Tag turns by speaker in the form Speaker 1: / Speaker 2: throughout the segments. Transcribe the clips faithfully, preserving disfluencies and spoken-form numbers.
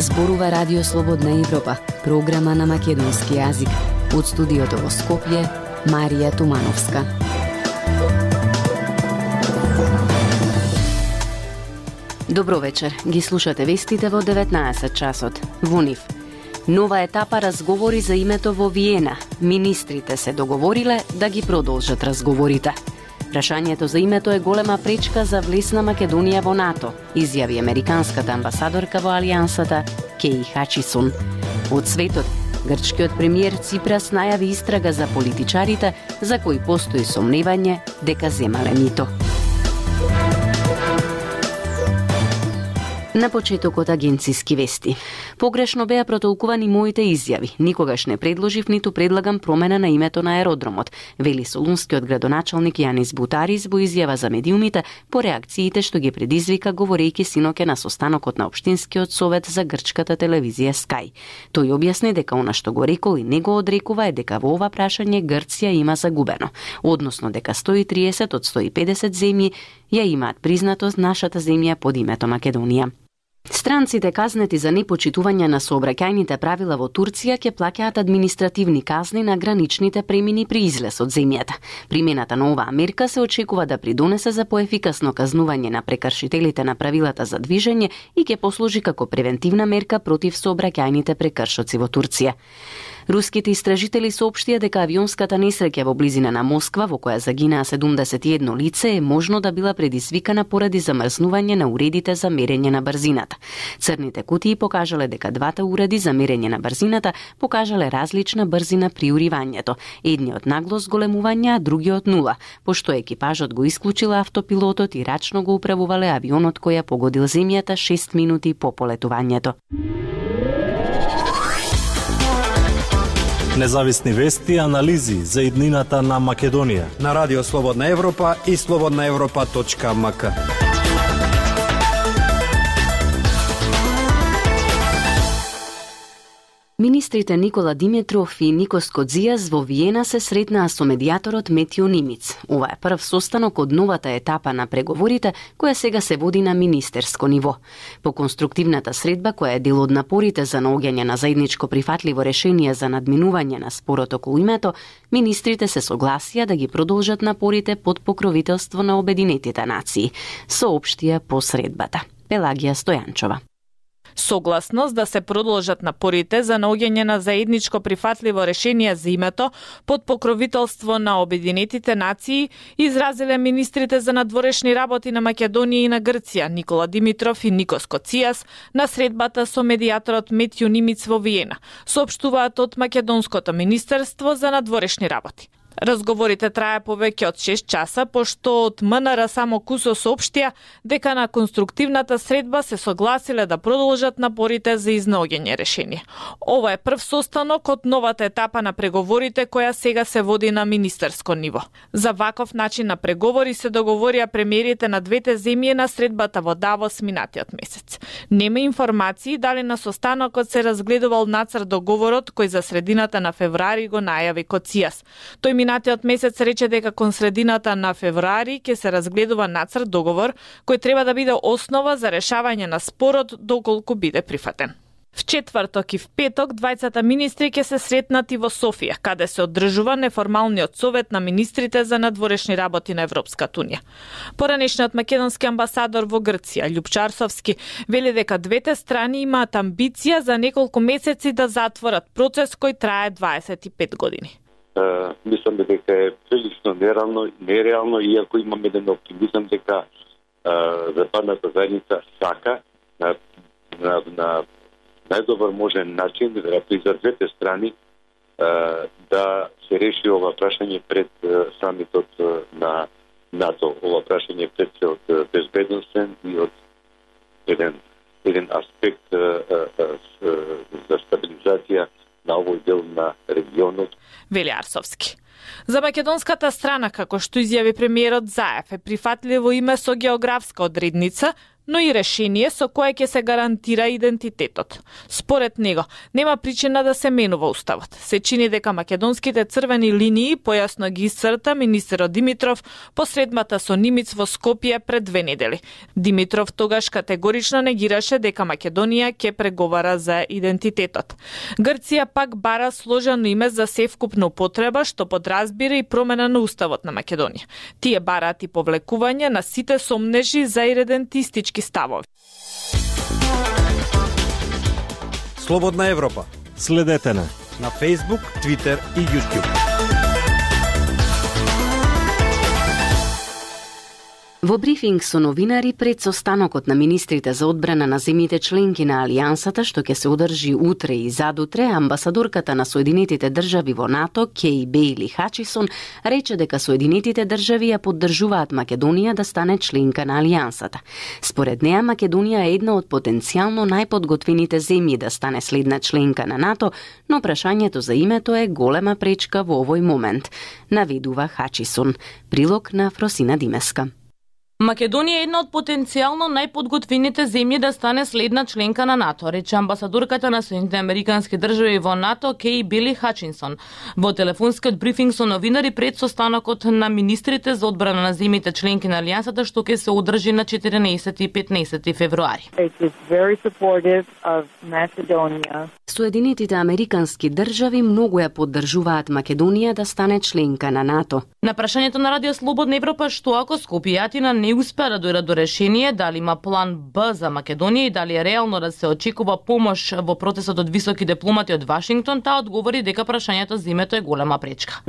Speaker 1: Зборува Радио Слободна Европа, програма на македонски јазик. Од студиото во Скопје, Марија Тумановска. Добро вечер, ги слушате вестите во деветнаесет часот. Во нив. Нова етапа разговори за името во Виена. Министрите се договориле да ги продолжат разговорите. Прашањето за името е голема пречка за влез на Македонија во НАТО, изјави американската амбасадорка во Алијансата Кеј Хачисон. Од светот, грчкиот премиер Ципрас најави истрага за политичарите за кои постои сомневање дека земале мито. На почетокот агенциски вести. Погрешно беа протолкувани моите изјави. Никогаш не предложив ниту предлагам промена на името на аеродромот, вели солунскиот градоначалник Јанис Бутарис во изјава за медиумите по реакциите што ги предизвика говорејќи синоќа на состанокот на општинскиот совет за грчката телевизија Sky. Тој објасни дека она што го рекол и не го одрекува е дека во ова прашање Грција има загубено, односно дека сто и триесет од сто и педесет земји ја имаат признатост нашата земја под името Македонија. Странците казнети за непочитување на сообраќајните правила во Турција ќе плаќаат административни казни на граничните премини при излез од земјата. Примената на оваа мерка се очекува да придонесе за поефикасно казнување на прекршителите на правилата за движење и ќе послужи како превентивна мерка против сообраќајните прекршоци во Турција. Руските истражители соопштија дека авионската несреќа во близина на Москва, во која загинаа седумдесет и едно лице, е можно да била предизвикана поради замрзнување на уредите за мерење на брзината. Црните кутии покажале дека двата уреди за мерење на брзината покажале различна брзина при уривањето. Едниот нагло зголемување, а другиот нула, пошто екипажот го исклучила автопилотот и рачно го управувале авионот кој ја погодил земјата шест минути по полетувањето.
Speaker 2: Независни вести и анализи за иднината на Македонија
Speaker 3: на Радио Слободна Европа и слободна европа точка ем ка.
Speaker 1: Министрите Никола Димитров и Никос Кодзијас во Виена се сретнаа со медијаторот Метјо Нимиц. Ова е прв состанок од новата етапа на преговорите, која сега се води на министерско ниво. По конструктивната средба, која е дел од напорите за наоѓање на заедничко прифатливо решение за надминување на спорот околу името, министрите се согласија да ги продолжат напорите под покровителство на Обединетите нации, соопштија по средбата. Пелагија Стојанчова.
Speaker 4: Согласност да се продолжат напорите за наоѓање на заедничко прифатливо решение за името под покровителство на Обединетите нации изразиле министрите за надворешни работи на Македонија и на Грција Никола Димитров и Никос Кодзијас на средбата со медијаторот Метјо Нимиц во Виена, соопштуваат од Македонското министерство за надворешни работи. Разговорите трае повеќе од шест часа, пошто од М Н Р само кусо соопштија дека на конструктивната средба се согласиле да продолжат напорите за изнаоѓање решение. Ова е прв состанок од новата етапа на преговорите која сега се води на министерско ниво. За ваков начин на преговори се договорија премиерите на двете земји на средбата во Давос минатиот месец. Нема информации дали на состанокот се разгледувал нацрт договорот кој за средината на февруари го најави Кодзијас. Тој минатиот месец рече дека кон средината на февруари ќе се разгледува нацрт договор кој треба да биде основа за решавање на спорот доколку биде прифатен. В четврток и в петок двајцата министри ќе се сретнат и во Софија, каде се одржува неформалниот совет на министрите за надворешни работи на Европската унија. Поранешниот македонски амбасадор во Грција, Љупчо Арсовски, вели дека двете страни имаат амбиција за неколку месеци да затворат процес кој трае дваесет и пет години.
Speaker 5: Uh, мислам дека е прилично нереално, нереално, иако имам еден оптимизам дека uh, западната заедница сака на, на, на најдобар можен начин да за двете страни uh, да се реши ова прашање пред uh, самитот uh, на НАТО. Ова прашање пред се од uh, безбедносен и од еден, еден аспект uh, uh, uh, за стабилизација на овој дел на регионот.
Speaker 4: Вели Арсовски. За македонската страна, како што изјави премиерот Заев, е прифатливо име со географска одредница, но и решение со кое ќе се гарантира идентитетот. Според него, нема причина да се менува уставот. Се чини дека македонските црвени линии, појасно ги исцрта министерот Димитров посредбата со Нимиц во Скопје пред две недели. Димитров тогаш категорично негираше дека Македонија ќе преговара за идентитетот. Грција пак бара сложено име за севкупна употреба, што подразбира и промена на уставот на Македонија. Тие бараат и повлекување на сите сомнежи за иредентистички ставови.
Speaker 3: Слободна Европа.
Speaker 2: Следете на
Speaker 3: на Facebook, Twitter и YouTube.
Speaker 1: Во брифинг со новинари пред состанокот на министрите за одбрана на земјите членки на Алијансата, што ќе се одржи утре и задутре, амбасадорката на Соединетите држави во НАТО, Кеј Бејли Хачисон, рече дека Соединетите држави ја поддржуваат Македонија да стане членка на Алијансата. Според неа, Македонија е една од потенцијално најподготвените земји да стане следна членка на НАТО, но прашањето за името е голема пречка во овој момент, наведува Хачисон. Прилог на Фросина Димеска.
Speaker 6: Македонија е една од потенцијално најподготвените земји да стане следна членка на НАТО, рече амбасадорката на Соединетите американски држави во НАТО Кеј Бејли Хачинсон во телефонскиот брифинг со новинари пред состанокот на министрите за одбрана на земјите членки на Алијансата, што ќе се одржи на четиринаесети и петнаесети февруари.
Speaker 1: Соединетите американски држави многу ја поддржуваат Македонија да стане членка на НАТО.
Speaker 6: На прашањето на Радио Слободна Европа што ако Скопје и Атина не успеа да дојдат до решение дали има план Б за Македонија и дали е реално да се очекува помош во процесот од високи дипломати од Вашингтон, таа одговори дека прашањето за името е голема пречка.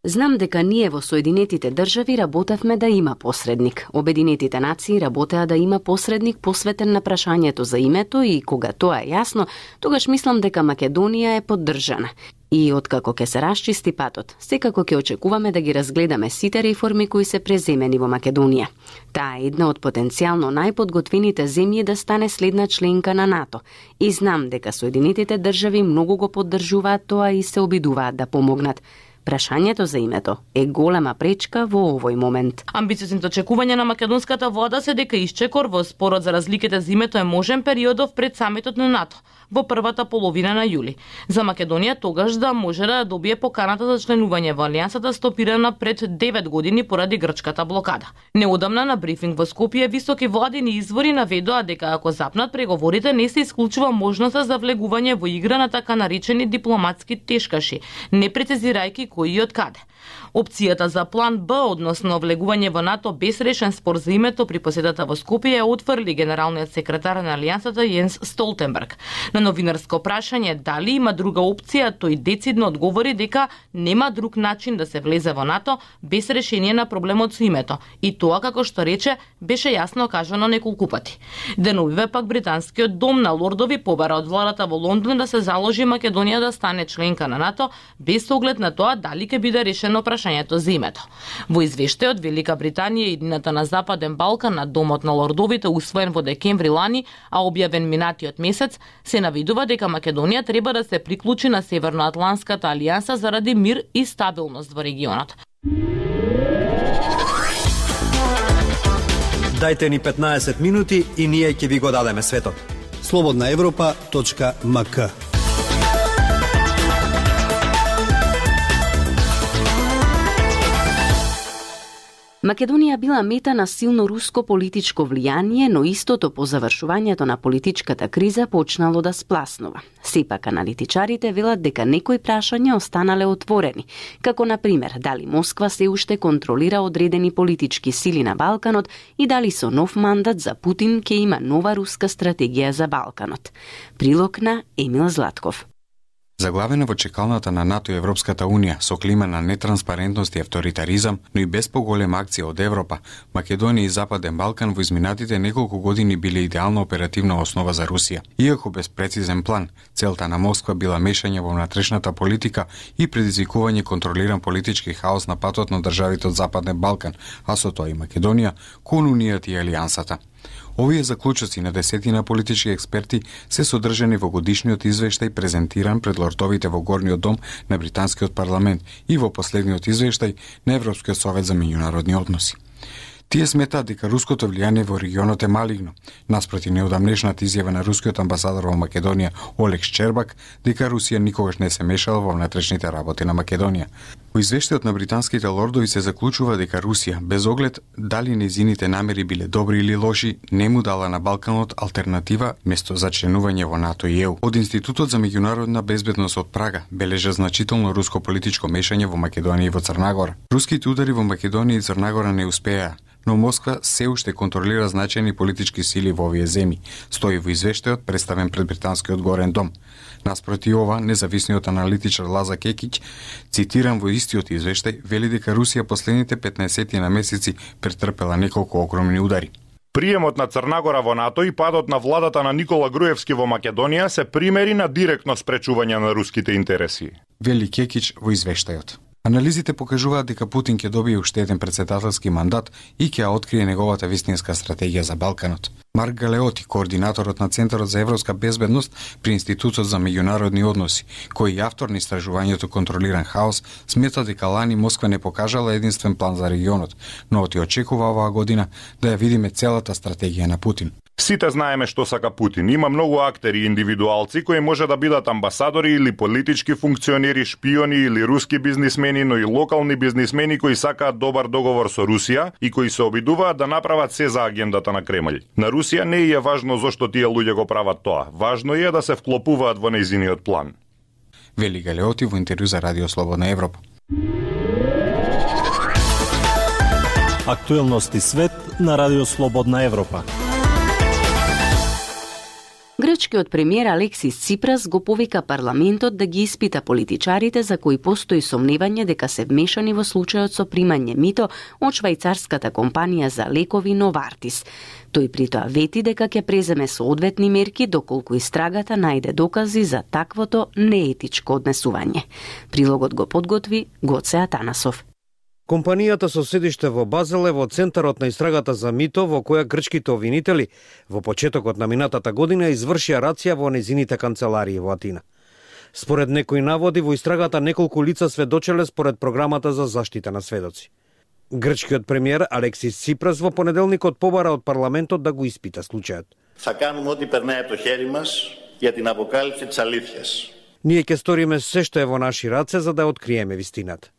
Speaker 1: Знам дека ние во Соединетите држави работевме да има посредник. Обединетите нации работеа да има посредник посветен на прашањето за името и кога тоа е јасно, тогаш мислам дека Македонија е поддржана. И откако ќе се расчисти патот, секако ќе очекуваме да ги разгледаме сите реформи кои се преземени во Македонија. Таа е една од потенцијално најподготвените земји да стане следна членка на НАТО. И знам дека Соединетите држави многу го поддржуваат тоа и се обидуваат да помогнат. Прашањето за името е голема пречка во овој момент.
Speaker 6: Амбициозните очекувања на македонската влада се дека исчекор во спорот за разликите за името е можен периодов пред самитот на НАТО во првата половина на јули. За Македонија тогаш да може да добие поканата за членување во Алијансата стопирана пред девет години поради грчката блокада. Неодамна на брифинг во Скопје високи владини извори наведоа дека ако запнат преговорите не се исклучува можноста за влегување во игра на така наречени дипломатски тешкаши, не прецизирајќи кои и од каде. Опцијата за план Б, односно влегување во НАТО без решен спор за името при посетата во Скопје ја отфрли генералниот секретар на Алијансата Јенс Столтенберг. На новинарско прашање дали има друга опција, тој децидно одговори дека нема друг начин да се влезе во НАТО без решение на проблемот со името. И тоа, како што рече, беше јасно кажано неколку пати. Деновиве пак британскиот дом на лордови побара од владата во Лондон да се заложи Македонија да стане членка на НАТО без оглед на тоа дали ќе биде решено прашањето за името. Во извештајот Велика Британија и едината на Западен Балкан на Домот на лордовите усвоен во декември лани, а објавен минатиот месец, се навидува дека Македонија треба да се приклучи на Северноатланската алијанса заради мир и стабилност во регионот.
Speaker 3: Дајте ни петнаесет минути и ние ќе ви го дадеме светот.
Speaker 7: слободна европа точка ем ка.
Speaker 1: Македонија била мета на силно руско политичко влијание, но истото по завршувањето на политичката криза почнало да спласнува. Сепак аналитичарите велат дека некои прашања останале отворени, како на пример дали Москва се уште контролира одредени политички сили на Балканот и дали со нов мандат за Путин ќе има нова руска стратегија за Балканот. Прилог на Емил Златков.
Speaker 8: Заглавена во чекалната на НАТО и Европската Унија со клима на нетранспарентност и авторитаризам, но и без поголема акција од Европа, Македонија и Западен Балкан во изминатите неколку години биле идеална оперативна основа за Русија. Иако без прецизен план, целта на Москва била мешање во внатрешната политика и предизвикување контролиран политички хаос на патот на државите од Западен Балкан, а со тоа и Македонија, кон Унијата и Алијансата. Овие заклучоци на десетина политички експерти се содржани во годишниот извештај презентиран пред лордовите во Горниот дом на британскиот парламент и во последниот извештај на Европскиот совет за меѓународни односи. Тие сметаат дека руското влијание во регионот е малигно, наспроти неодамнешната изјава на рускиот амбасадор во Македонија Олег Шчербак дека Русија никогаш не се мешала во внатрешните работи на Македонија. Во извештајот на британските лордови се заклучува дека Русија, без оглед дали нејзините намери биле добри или лоши, не му дала на Балканот алтернатива место за членување во НАТО и Е У. Од Институтот за меѓународна безбедност од Прага бележа значително руско политичко мешање во Македонија и во Црна Гора. Руските удари во Македонија и Црна Гора не успеа, но Москва се уште контролира значајни политички сили во овие земји, стои во извештајот представен пред британскиот Горен дом. Наспроти ова, независниот аналитичар Лаза Кекич, цитиран во истиот извештај, вели дека Русија последните петнаесет на месеци претрпела неколку огромни удари.
Speaker 9: Приемот на Црна Гора во НАТО и падот на владата на Никола Груевски во Македонија се примери на директно спречување на руските интереси,
Speaker 8: вели Кекич во извештајот. Анализите покажуваат дека Путин ќе добие уште еден председателски мандат и ќе открие неговата вистинска стратегија за Балканот. Марк Галеоти, координаторот на Центарот за европска безбедност при Институтот за меѓународни односи, кој е автор на истражувањето Контролиран хаос, смета дека лани Москва не покажала единствен план за регионот, но оти очекува оваа година да ја видиме целата стратегија на Путин.
Speaker 9: Сите знаеме што сака Путин. Има многу актери и индивидуалци кои може да бидат амбасадори или политички функционери, шпиони или руски бизнисмени, но и локални бизнисмени кои сакаат добар договор со Русија и кои се обидуваат да направат се за агендата на Кремљ. На Русија не е важно зошто тие луѓе го прават тоа. Важно е да се вклопуваат во нејзиниот план.
Speaker 8: Вели Галеоти во интервју за Радио Слободна Европа.
Speaker 2: Актуелности свет на Радио Слободна Европа.
Speaker 1: Грчкиот премиер Алексис Ципрас го повика парламентот да ги испита политичарите за кои постои сомневање дека се вмешани во случајот со примање мито од швајцарската компанија за лекови Новартис. Тој при тоа вети дека ќе преземе соодветни мерки доколку истрагата најде докази за таквото неетичко однесување. Прилогот го подготви Гоце Атанасов.
Speaker 3: Компанијата со седиште во Базел е во центарот на истрагата за мито во која грчките обвинители во почетокот на минатата година извршија рација во незините канцеларии во Атина. Според некои наводи во истрагата неколку лица сведочеле според програмата за заштита на сведоци. Грчкиот премиер Алексис Ципрас во понеделникот побара од парламентот да го испита случајот.
Speaker 10: Θα κάνουμε ό,τι περνάει από το χέρι μας για την αποκάλυψη της αλήθειας.
Speaker 3: Ние ќе сториме се што е во наши раце за да откриеме вистината.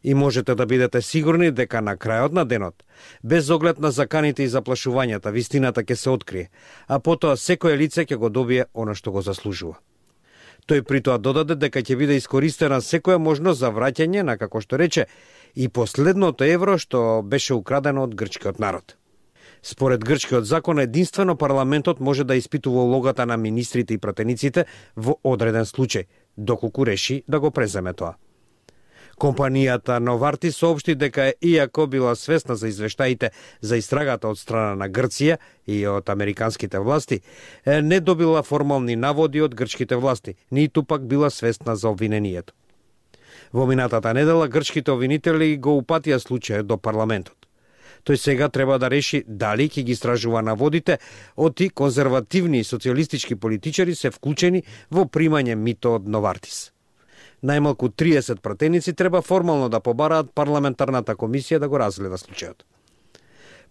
Speaker 3: И можете да бидете сигурни дека на крајот на денот, без оглед на заканите и заплашувањата, вистината ќе се открие, а потоа секое лице ќе го добие она што го заслужува. Тој при тоа додаде дека ќе биде искористена секоја можност за враќање на, како што рече, и последното евро што беше украдено од грчкиот народ. Според грчкиот закон, единствено парламентот може да испитува улогата на министрите и пратениците во одреден случај, доколку реши да го преземе тоа. Компанијата Новарти соопшти дека иако била свесна за извештаите за истрагата од страна на Грција и од американските власти, не добила формални наводи од грчките власти, ниту пак била свесна за обвинението. Во минатата недела грчките обвинители го упатија случајот до парламентот. Тој сега треба да реши дали ќе ги истражува наводите оти конзервативни и социјалистички политичари се вклучени во примање мито од Новартис. Најмалку триесет пратеници треба формално да побараат парламентарната комисија да го разгледа случајот.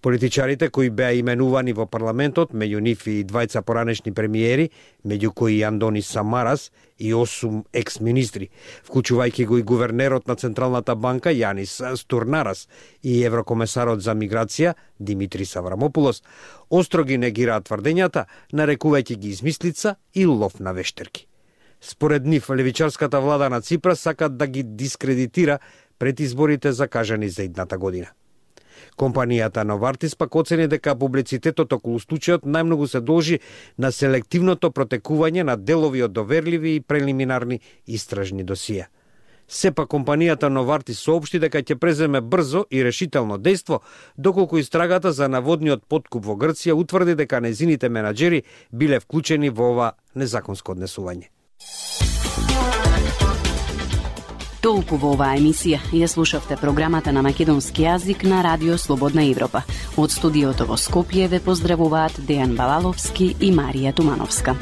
Speaker 3: Политичарите кои беа именувани во парламентот, меѓу нив и двајца поранешни премиери, меѓу кои Андони Самарас и осум екс-министри, вклучувајќи го и гувернерот на Централната банка Јанис Стурнарас и еврокомесарот за миграција Димитрис Аврамопулос, остро ги негираат тврдењата, нарекувајќи ги измислица и лов на вештерки. Според нив, левичарската влада на Ципрас сакат да ги дискредитира пред изборите закажани за идната година. Компанијата Новартис пак оцени дека публицитетот околу случајот најмногу се должи на селективното протекување на делови од доверливи и прелиминарни истражни досија. Сепак компанијата Новартис соопшти дека ќе преземе брзо и решително дејство, доколку истрагата за наводниот подкуп во Грција утврди дека незините менаџери биле вклучени во ова незаконско однесување.
Speaker 1: Толку во оваа емисија. Ја слушавте програмата на македонски јазик на Радио Слободна Европа. Од студиото во Скопје ве поздравуваат Дејан Балаловски и Марија Тумановска.